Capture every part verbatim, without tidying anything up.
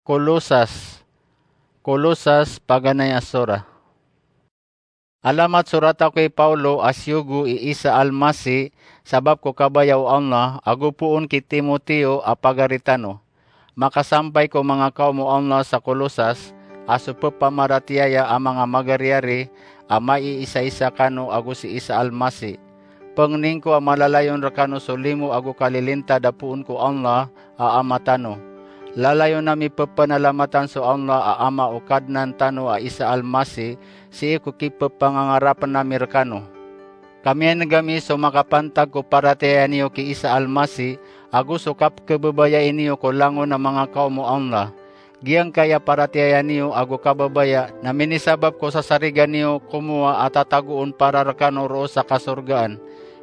Kolosas. Kolosas, paganay a sora. Alamat sorat ako i Pawlo a siyogo i Isa Almasi, sabap ko kabaya o Allah, ago poon ki Timoteo a pagari tano. Makasampay ko manga kawm o Allah sa Kolosas, a so pepamaratiyaya a manga magariyari, a maiisaisa kano ago si Isa Almasi. Pengnin ko a malalayon rekano so limo ago kalilintad a poon ko Allah a Ama tano. Lalayon ami pepenalamatan so Allah a Ama o Kadnan tano a Isa Almasi, sii ko kipepangangarapen ami rekano. Ka miyaneg ami so makapantag ko paratiyaya niyo ki Isa Almasi, ago so kapkebebayai niyo ko langon a manga kawm o Allah. Giyangkaya paratiyaya niyo ago kababaya na minisabap ko sasarigan iyo komowa a tatagoon para rekano roo sa kasorgaan.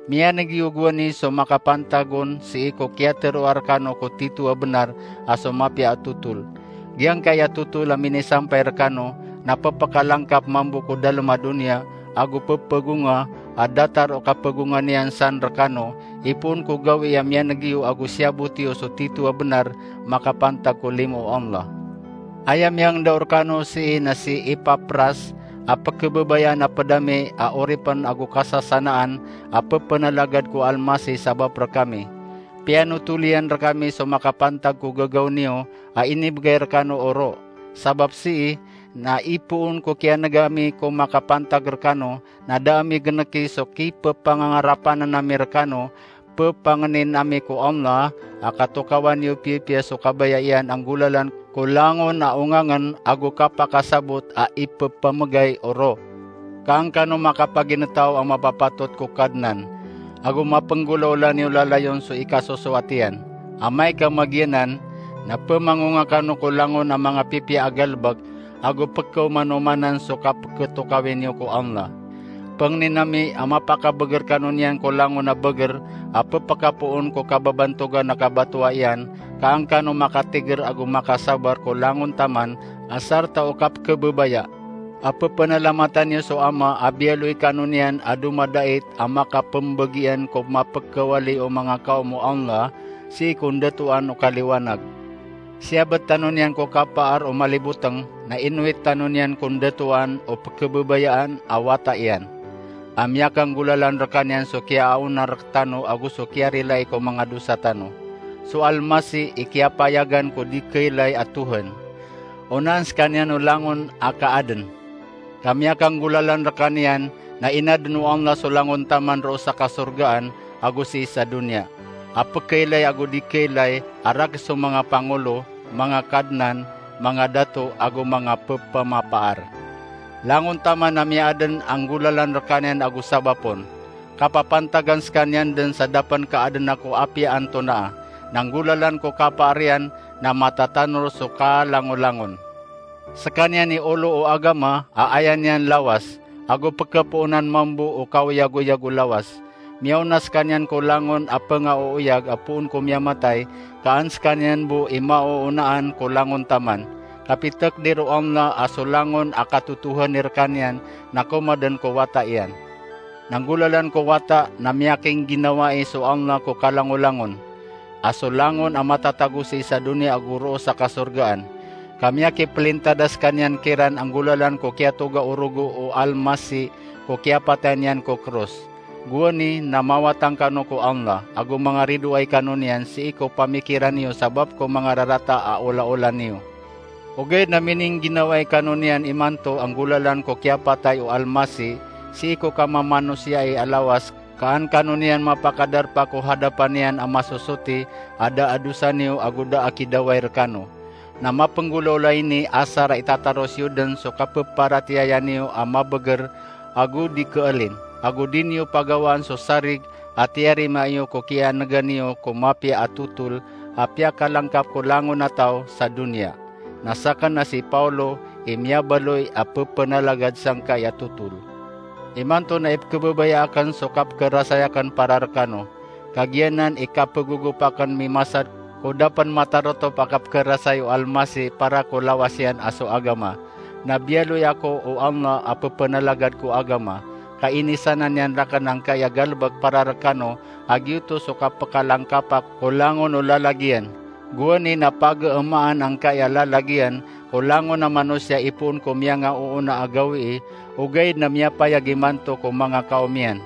Miyaneg iyo gowani so makapantag on sii ko kiyateroa rekano ko tito a benar a so mapiya a totol. Giyangkaya totol a minisampay rekano na pepekalangkap mambo ko dalem a doniya, ago pepegonga a datar o kapegonga niyan san rekano, ipoon ko gawii a miyaneg iyo ago siyabot iyo so tito a benar makapantag ko limo o Allah. Aya miyangndao rekano sii na si Epapras a pekebebayaan a pedami a oripen ago kasasanaan a pepenalagad ko Almasi sabap rekami. Piyanotol iyan rekami so makapantag ko gagaw niyo a inibegay rekano o roo. Sabap sii na ipoon ko kiyaneg ami ko makapantag rekano, na da ami geneki so kipepangangarapanen ami rekano, pepangnin ami ko Allah a katokawan iyo piyapiya so kabaya iyan a nggolalan ko langon a ongangen ago kapakasabot a ipepamegay o roo. Ka an kano makapaginetaw a mapapatot ko Kadnan, ago mapenggolaola niyo lalayon so ikasosowat iyan. Amay ka magiyanan, na pemangonga kano ko langon a manga pipiya a galebek, ago pekaomanomanan so kapeketokawi niyo ko Allah. Pengnin ami a mapakabeger kano niyan ko langon a beger a pepekapoon ko kababantogan a kabatoa iyan, ka an kano makatiger ago makasabar ko langon taman a sarta o kapekebebaya a pepenalamatan iyo so Ama a biyaloy kano niyan a domadait a makapembegian ko mapekawali o manga kawm o Allah sii ko ndatoan o kaliwanag. Siyabet tano niyan ko kapaar o maliboteng, na inowit tano niyan ko ndatoan o pekebebayaan a wata iyan, a miyakanggolalan rekaniyan so kiyaaona rektano ago so kiyarilai ko manga dosa tano. So Almasi i kiyapayagan ko di keilay a Tohan. Onaan sekaniyan o langon a kaaden. Ka miyakanggolalan rekaniyan na inaden o Allah so langon taman roo sa kasorgaan ago sii sa doniya, a pekeilay ago di keilay, a rakes o manga pangolo, manga kadnan, manga dato ago manga pepamapaar. Langon taman a miyaaden a nggolalan rekaniyan ago sabap on. Kapapantagan sekaniyan den sa da pen kaaden ako apiya antonaa, na nggolalan ko kapaar iyan na matatanor so kalangolangon. Sekaniyan i olo o agama a aya niyan lawas, ago pekepoonan mambo o kaoyagoyag o lawas. Miyaona sekaniyan ko langon a pengaooyag a poon ko miyamatay, ka an sekaniyan bo i maoonaan ko langon taman. Kapitekdir o Allah a so langon a katotohani rekaniyan na komaden ko wata iyan. Na nggolalan ko wata na miyakingginawai so Allah ko kalangolangon, a so langon a matatago sii sa doniya ago roo sa kasorgaan. Ka miyakipelintada sekaniyan kiran a nggolalan ko kiyatoga o rogo o Almasi ko kiyapatay niyan ko kros. Gowani na mawatang kano ko Allah, ago mangaridoay kano niyan sii ko pamikiran iyo sabap ko manga rarata a olaola niyo. Ogaid na miningginawai kano niyan imanto a nggolalan ko kiyapatay o Almasi sii ko kamamanosiya a lawas, ka an kano niyan mapakadarpa ko hadapan iyan a masosoti a da a dosa niyo ago da a kidaway rekano. Na mapenggolaola ini asar a itataros iyo den so kapeparatiyaya niyo a mabeger ago di keelin, ago di niyo pagawaan so sarig a tiyarima iyo ko kiyanegan iyo ko mapiya a totol a piyakalangkap ko langon a taw sa doniya. Na saken a si Pawlo i miyabaloy a pepenalagad sangkai a totol. Imanto na ipekebebaya aken so kapekerasay aken para rekano, ka giyanan i kapegogop aken mimasad ko da pen matarotop a kapekerasay o Almasi para ko lawas iyan a so agama. Na biyaloy ako o Allah a pepenalagad ko agama, ka inisanan iyan raken angkai a galebek para rekano, a giyoto so kapekalangkap ako ko langon o lalag iyan. Gowani na pageemaan angkaya lalag iyan ko langon a manosiya ipoon ko miyangaoona a gawii, ogaid na miyapayag imanto ko manga kaom iyan.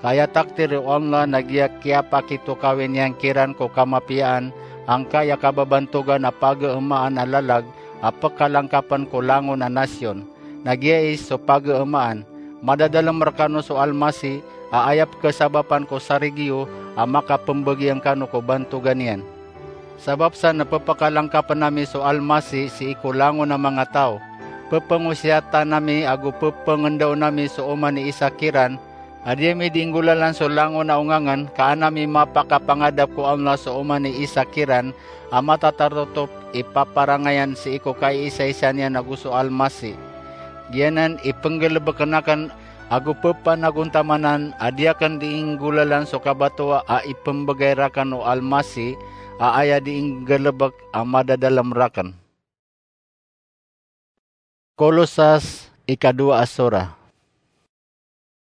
Ka aya takdir o Allah na giya kiyapakitokawi niyan kiran ko kamapiyaan angkaya kababantogan a pageemaan a lalag a pekalangkapen ko langon a nasiyon. Na giyai so pageemaan, madadalem rekano so Almasih a aya pekesabapan ko sarig iyo a makapembegi angkano ko bantogan iyan. Sabap sa na pepekalangkapen ami so Almasih sii ko langon a manga taw, pepengosiyatan ami ago pepengendaon ami so oman i isa kiran, a di ami di inggolalan so langon a ongangen, ka an ami mapakapangadap ko Allah so oman i isa kiran a matatarotop i paparangayan sii ko kaiisaisa niyan ago so Almasih. Giyanan i penggelebeken aken ago pepanagontamanan a di aken di inggolalan so kabatowa a ipembegay raken o Almasih, a aya di inggelebek a madadalem raken. Kolosas, ikadowa a sora.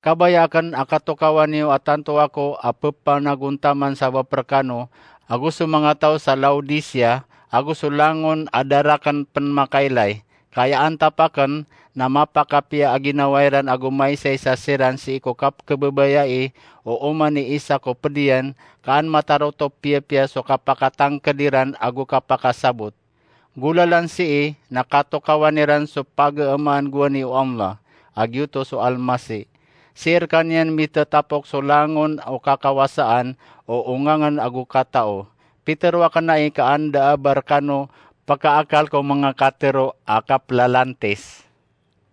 Kabaya aken a katokawan iyo a tanto ako a pepanagontaman sabap rekano, ago so manga taw sa Laodicea, ago so langon a da raken pen makailay, ka aya antap aken na mapakapiya a ginawa iran ago maisaisa siran sii ko kapkebebayai o oman i isa ko ped iyan, ka an matarotop piyapiya so kapakatangked iran ago kapakasabot. Golalan sii na katokawan iran so pageemaan gowani o Allah, a giyoto so Almasih. Sii rekaniyan mitetapok so langon o kakawasaan o ongangen ago katao. Pitero aken ai ka an da a ba rekano pekaakal ko manga katero a kapelalantis.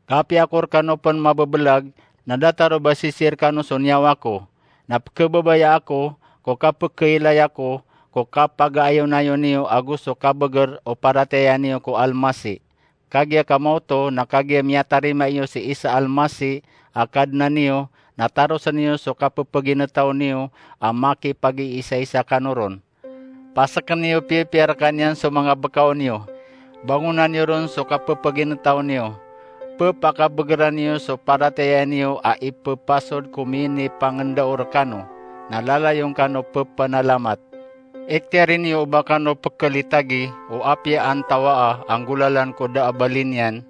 Ka apiya ako rekano pen mabebelag, na datar o ba sisii rekano so niyawa ko, na pekebebaya ako ko kapekeilay ako ko kapagaayonayon iyo ago so kabeger o paratiyaya niyo ko Almasih. Kagiya kamaoto na kagiya miyatarima iyo si Isa Almasih a Kadnan iyo, na tarosen iyo so kapepeginetaw niyo a makipagiisaisa kano ron. Paseken iyo piyapiya rekaniyan so manga bekaw niyo. Bangonan iyo ron so kapepeginetaw niyo. Pepakabegeran iyo so paratiyaya niyo a ipepasod ko minipangendao rekano, na lalayon kano pepenalamat. Iktiyari niyo o ba kano pekelitagi o apiya antawaa a nggolalan ko da a bali niyan,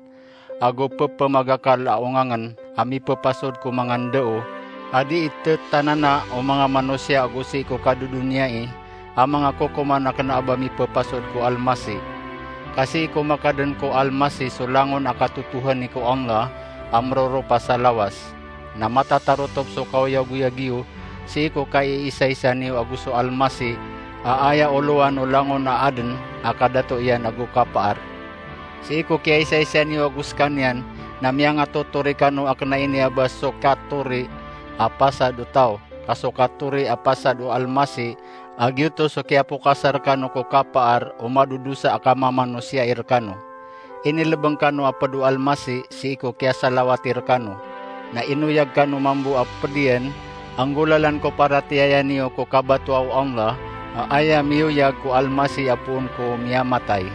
ago pepemagakal a ongangen a mipepasod ko manga ndao a di itetanana o manga manosiya ago sii ko kadodoniyai a manga kokoman a kena a ba mipepasod ko Almasih. Ka sii ko makaden ko Almasih so langon a katotohani ko Allah a meroropa sa lawas, na matatarotop so kaoyagoyag iyo sii ko kaiisaisa niyo ago so Almasih a aya olowan o langon a aden a kadato iyan ago kapaar. Sii ko kiyaisaisa niyo ago sekaniyan na miyangatotori kano a kena ini a ba so katori a pasad o taw, ka so katori a pasad o Almasih, a giyoto so kiyapokasa rekano ko kapaar o madodosa a kamamanosiya rekano. Inilebeng kano a ped o Almasih sii ko kiyasalawati rekano, na inoyag kano mambo a ped iyan a nggolalan ko paratiyaya niyo ko kabatowa o Allah a aya miyoyag ko Almasih a poon ko miyamatay.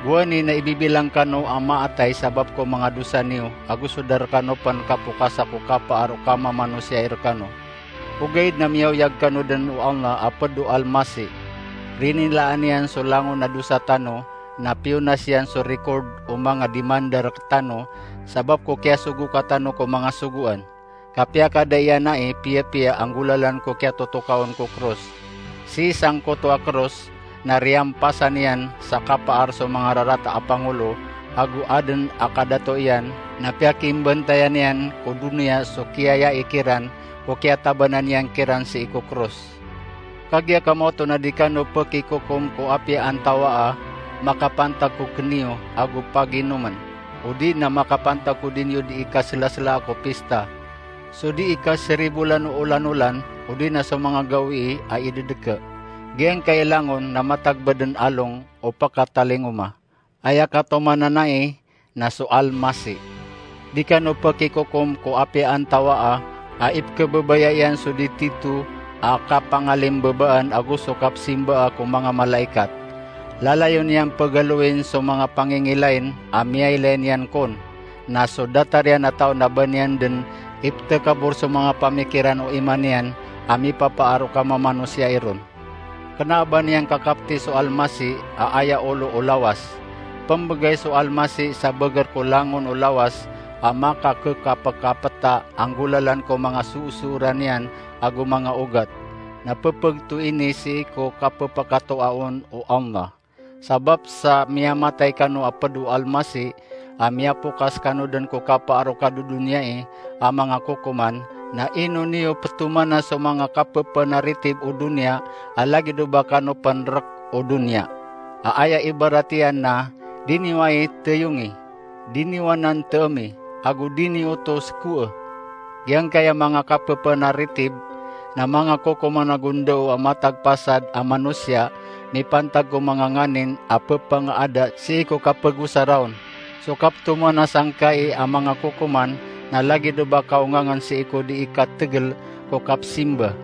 Gowani na ibibilang kano a maatay sabap ko manga dosa niyo, ago so da rekano pen kapokasa ko kapaar o kamamanosiya rekano. Ogaid na miyaoyag kano den o Allah a ped o Almasih. Rinilaan iyan so langon a dosa tano, na piyonas iyan so rikord o manga dimanda rektano, sabap ko kiyasogoka tano ko manga sogoan. Ka piyakada iyan ai piyapiya a nggolalan ko kiyatotokaon ko kros. Sii sangkoto a kros na riyampasan iyan sa kapaar so manga rarata a pangolo ago aden a kadato iyan, na piyakimbantayan iyan ko doniya so kiyayai kiran ko kiyatabanan iyan kiran sii ko kros. Kagiya kamaoto na di kano pekikokom ko apiya antawaa makapantag ko keniyo ago paginomen, odi na makapantag ko di niyo di ikaselaselaa ko pista, so di ikaseribolan o olan-olan, odi na so manga gawii a idedeke. Giyangkai langon na matagba den along o pekatalingoma. Aya katomanan ai na so Almasih. Di kano pekikokom ko apiya antawaa a ipekebebaya iyan so di tito a kapangalimbebaan ago so kapesimbaa ko manga malaikat. Lalayon iyan pegaloin so manga pangingilain a miyailay niyan kon, na so datar iyan a taw na ba niyan den iptekabor so manga pamikiran o iman iyan a mipapaar o kamamanosiya iron. Kena a ba niyan kakapeti so Almasih a aya olo o lawas. Pembegay so Almasih sa beger ko langon o lawas a makakekapekapeta a nggolalan ko manga soosooran iyan ago manga ogat. Na pepegto ini sii ko kapepekatoaon o Allah. Sabap sa miyamatay kano a ped o Almasih, a miyapokas kano den ko kapaar o kadodoniyai a manga kokoman, na ino niyo petomana so manga kapepenaritib o doniya a lagid o ba kano pen rek o doniya. A aya ibarat iyan na, di niyo ai teyongi, di niyo anan teemi, ago di niyo oto sekoe. Giyangkaya manga kapepenaritib na manga kokoman ago ndao a matag pasad a manosiya mipantag ko manga nganin a pepengaada sii ko kapegosaraon. So kapetomana sangkai a manga kokoman na lagid o ba kaongangen sii ko dii kategel ko kapesimba,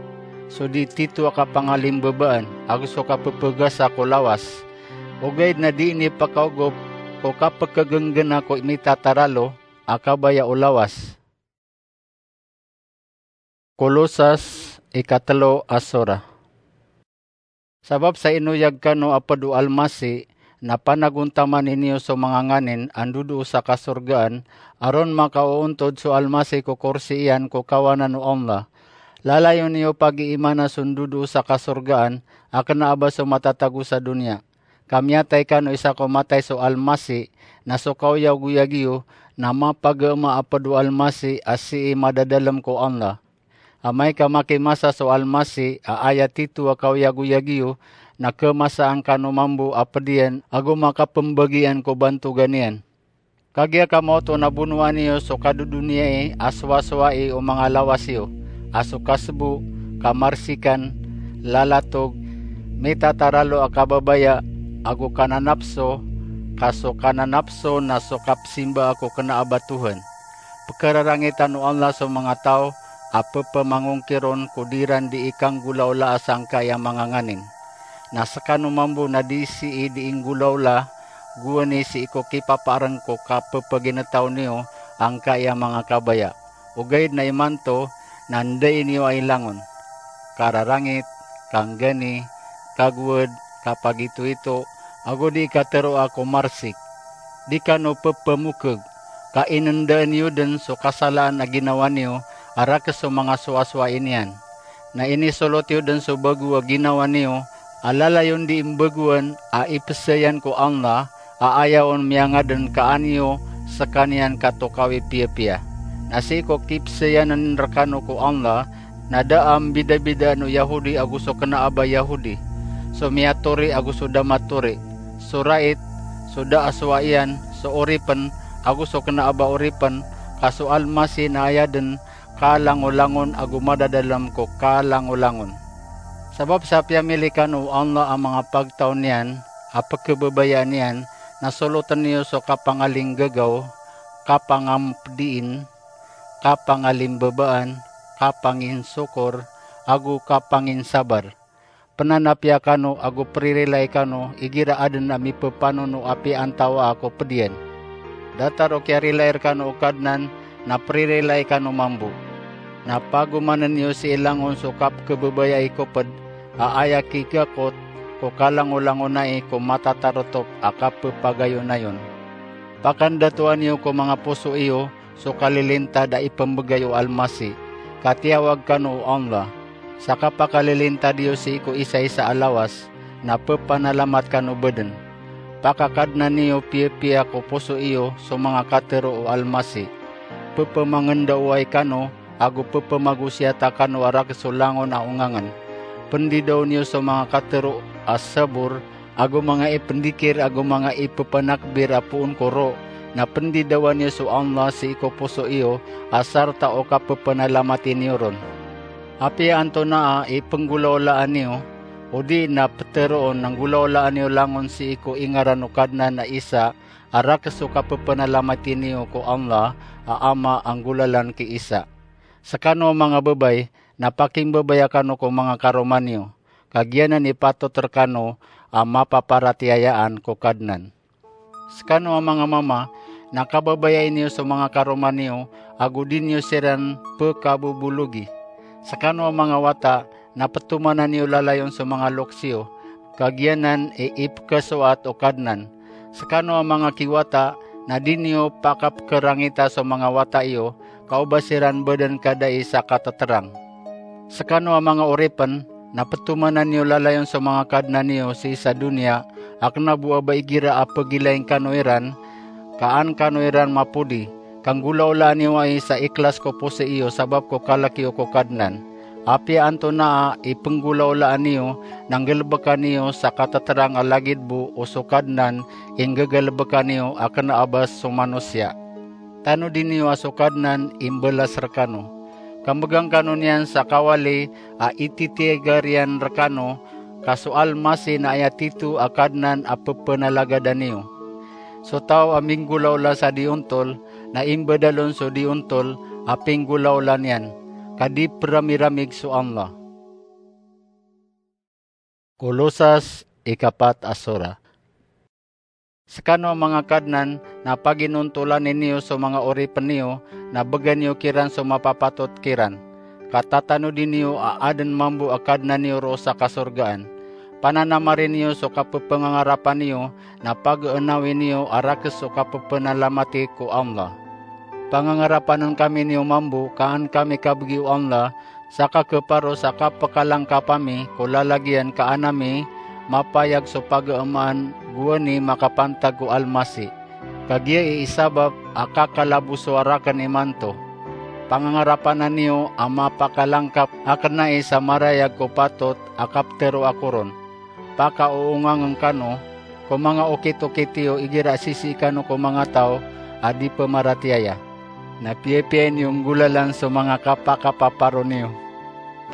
so dii tito a kapangalimbabaan, ago so kapepegasa ko lawas. Ogaid na dii niyo pekaogop ko kapekegenggena ko mitataralo a kabaya o lawas. Kolosas ikatelo a sora. Sabap sa inoyag kano a ped o Almasih, na panagontamani niyo so manga nganin a ndodoo sa kasorgaan, a ron makaoontod so Almasih ko korsi iyan ko kawanan o Allah. Lalayon iyo pagiimana so ndodoo sa kasorgaan a kena a ba so matatago sa doniya. Ka miyatay kano isa ko matay so Almasih, na so kaoyagoyag iyo na mapageema a ped o Almasih a sii madadalem ko Allah. Amay ka makimasa so Almasih a aya tito a kaoyagoyag iyo, na kemasaan kano mambo a ped iyan ago makapembagian ko bantogan iyan. Kagiya ka maoto na bonoa niyo so kadodoniyai a sowasowai o manga lawas iyo, a so kasebo, kamarsikan, lalatog, mitataralo a kababaya, ago kananapso, ka so kananapso na so kapesimbaa ko kena a ba Tohan. Pekerarangitan o Allah so manga taw a pepemangongkiron ko di ran dii kanggolaolaa sangkai a manga nganin. Na sekano mambo na dii sii dii nggolaola, gowani sii ko kipapaareng ko kapepeginetaw niyo angkai a manga kabaya. Ogaid na imanto na ndai niyo ai langon: kararangit, kanggani, kagowad, kapagitoito, ago dii kateroa ko marsik. Di kano pepemokeg, ka inendaan iyo den so kasalaan a ginawa niyo a rakhs so manga sowasowai niyan. Na inisolot iyo den so bago a ginawa niyo a lalayon dii mbagoan a ipesayan ko Allah, a aya on miyangaden ka an iyo sekaniyan katokawi piyapiya. Na sii ko kipesayanen rekano ko Allah, na da a mbidabidaan o Yahodi ago so kena a ba Yahodi, so miyatori ago so da matori, so rait, so da a sowaian, so oripen ago so kena a ba oripen, ka so Almasih na aya den kalangolangon ago madadalem ko kalangolangon. Sabap sa piyamili kano o Allah a manga pagtaw niyan a pekebabayaan iyan, na soloten iyo so kapangalinggagaw, kapangampediin, kapangalimbabaan, kapanginsokor, ago kapanginsabar. Penanapiya kano ago peririlai kano igira aden a mipepanono a piyantawaa ko ped iyan. Datar o kiyarilai rekano o Kadnan na peririlai kano mambo. Na pagomanen iyo sii langon so kapekebabayai ko ped a aya kigakot ko kalangolangonai ko matataretop a kapepagayonayon. Pakandatoan iyo ko manga poso iyo so kalilintad a ipembegay o Almasih, ka tiyawag kano o Allah. Sa kapakalilintad iyo sii ko isaisa a lawas, na pepanalamat kano baden. Pakakadnan iyo piyapiya ko poso iyo so manga katero o Almasih. Pepemangendaowai kano ago pepemagosiyata kano a rakhs so langon a ongangen. Pendidaon iyo so manga katero a sabor, ago manga ipendikir ago manga ipepenakbir a poon ko ro, na pendidawan iyo so Allah sii ko poso iyo, a sarta o kapepenalamatin iyo ron. Apiya antonaa i penggolaolaan iyo, odi na peteroon na nggolaolaan iyo langon sii ko ingaran o Kadnan a isa, a rakhs so kapepenalamatin iyo ko Allah a Ama a nggolalan ki isa. Sekano a manga babay, na pakimbabaya kano ko manga karoma niyo, ka giyanan i patot rekano a mapaparatiyayaan ko Kadnan. Sekano a manga mama, na kababayai niyo so manga karoma niyo, ago di niyo siran pekabobologi. Sekano a manga wata, na ptomanan iyo lalayon so manga loks iyo, ka giyanan i ipkhasoat o Kadnan. Skano a manga kiwata, na di niyo pakapkharangita so manga wata iyo, ka o ba siran bdn kadai sa katatrang. Skano a manga oripn, na ptomanan iyo lalayon so manga kadnan iyo sii sa doniya, a kna bo a ba igira a pgilain kano iran, ka an kano iran mapodi, ka nggolawlaan iyo ai sa iklas ko posi iyo sabap ko kalk iyo ko Kadnan. Apiya antonaa i pnggolawlaan iyo, na nggalbka niyo sa katatrang a lagid bo o so Kadnan i nggagalbka niyo a kna a ba so manosiya. Tanodi niyo a so Kadnan i mbalas rkano. Ka mbgan kano niyan sa kawali a ititigar iyan rkano, ka so Almasih na aya tito a Kadnan a pphanalagadan iyo. So taw a minggolawla sa di ontol, na imbadal on so di ontol a pinggolawla niyan, ka di pramiramig so Allah. Kolosas ikapat a sura. Skano a manga kadnan, na paginontolani niyo so manga oripn iyo, na bgan iyo kiran so mapapatot kiran. Ka tatanodi niyo a adn mambo a Kadnan iyo roo sa kasorgaan. Pananamari niyo so kapphangangarapa niyo, na pageenawi niyo a rakhs so kapphanalamat ko Allah. Pangangarapanan kami niyo mambo, ka an kami kabgi o Allah, sa kakeparo sa kapakalangkap ami ko lalagiyan ka an ami mapayag so pagamaan gowani makapantag ko Almasih. Kagiya i isabap a kakalabosoa rakn imanto. Pangangarapanan iyo a mapakalangkap a kna i sa marayag ko patot a kaptero ako ron. Pakaoongangn kano ko manga okit-okit iyo igira sisii kano ko manga taw a di pmaratiyaya. Na piyapiya niyo nggolalan so manga kapakapaparo niyo.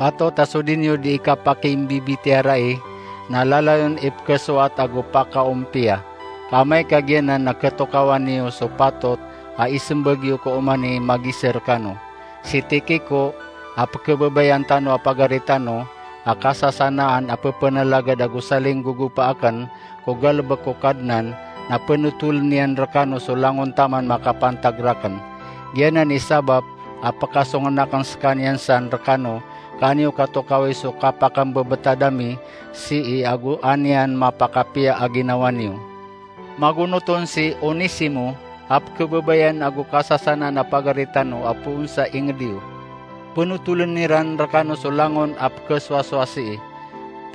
Patot a so di niyo di ikapakimbibitiyarai, na lalayon ipkhasoat ago pakaompiya. Ka amay ka giyanan na khatokawan iyo so patot a ismbag iyo ko oman i magiza rkano. Si Tikiko, a pkhababayaan tano a pagari tano, a kasasanaan a pphanalagad ago salinggogopa akn ko galbk ko Kadnan, na pnotoln iyan rkano so langon taman makapantag rakn. Giyanan i sabap a pkhasongn akn skaniyan san rkano, ka an iyo katokawi so kapakambebetad ami sii ago an iyan mapakapiya a ginawa niyo. Magonot on si Onesimo, a pkhababayaan ago kasasanaan a pagari tano a poon sa ingd iyo. Pnotoln iran rkano so langon a pkhasowasowa sii.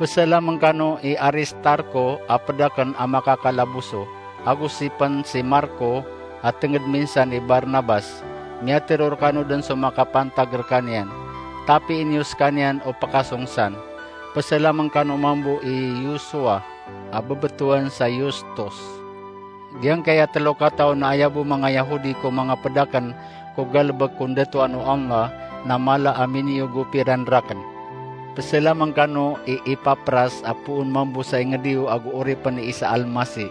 Psalamn kano i Aristarko a pd akn a makakalaboso, ago si pn si Marko a tngd minsan i Barnabas. Miyatharo rkano dn so makapantag rkaniyan. Tapii niyo skaniyan o pkhasong san. Psalamn kano mambo i Yosua a bbtowan sa Yustus. Giyangkaya tlo kataw na aya bo manga Yahudi ko manga pd akn ko galbk ko ndatoan o Allah, na mala a miniyogopi ran rakn. Psalamn kano i Epapras a poon mambo sa ingd iyo ago oripn i Isa Almasih.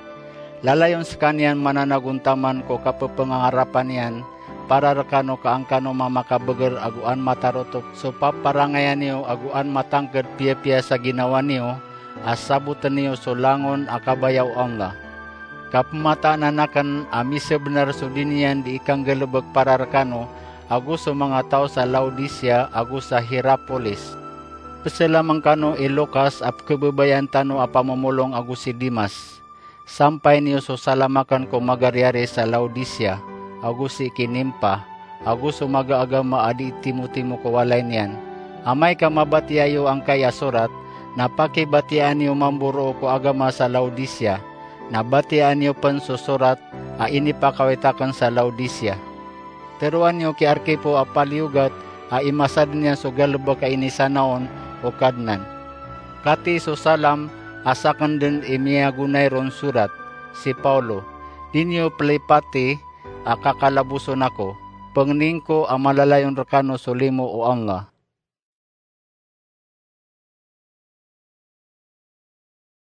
Lalayon skaniyan mananagontaman ko kapphangangarapa niyan para rkano ka an kano mamakabagr ago an matarotop so paparangayan iyo ago an matangkd piyapiya sa ginawa niyo a sabotn iyo so langon a kabaya o Allah. Ka pmataanan akn a misbnar so di niyan di ikanggalbk para rkano ago so manga taw sa Laodicea ago sa Hierapolis. Psalamn kano i Lukas a pkhababayaan tano a pamomolong ago si Demas. Sampayn iyo so salam akn ko magariyari sa Laodicea, ago sii ki Nimpa, ago so maga a agama a di timotimo ko walay niyan. Amay ka mabatiya iyo angkai a sorat, na pakibatiyaan iyo mambo roo ko agama sa Laodicea, na batiyaan iyo pn so sorat a inipakawit akn sa Laodicea. Tharoa niyo ki Arkipo a paliyogat a imasadn iyan so galbk a inisanaon o Kadnan. Katii so salam a sakn dn i miyagonay ron sorat, si Paulo. Di niyo plipati a kakalaboson ako. Pangnin ko a malalayon rkano so limo o Allah.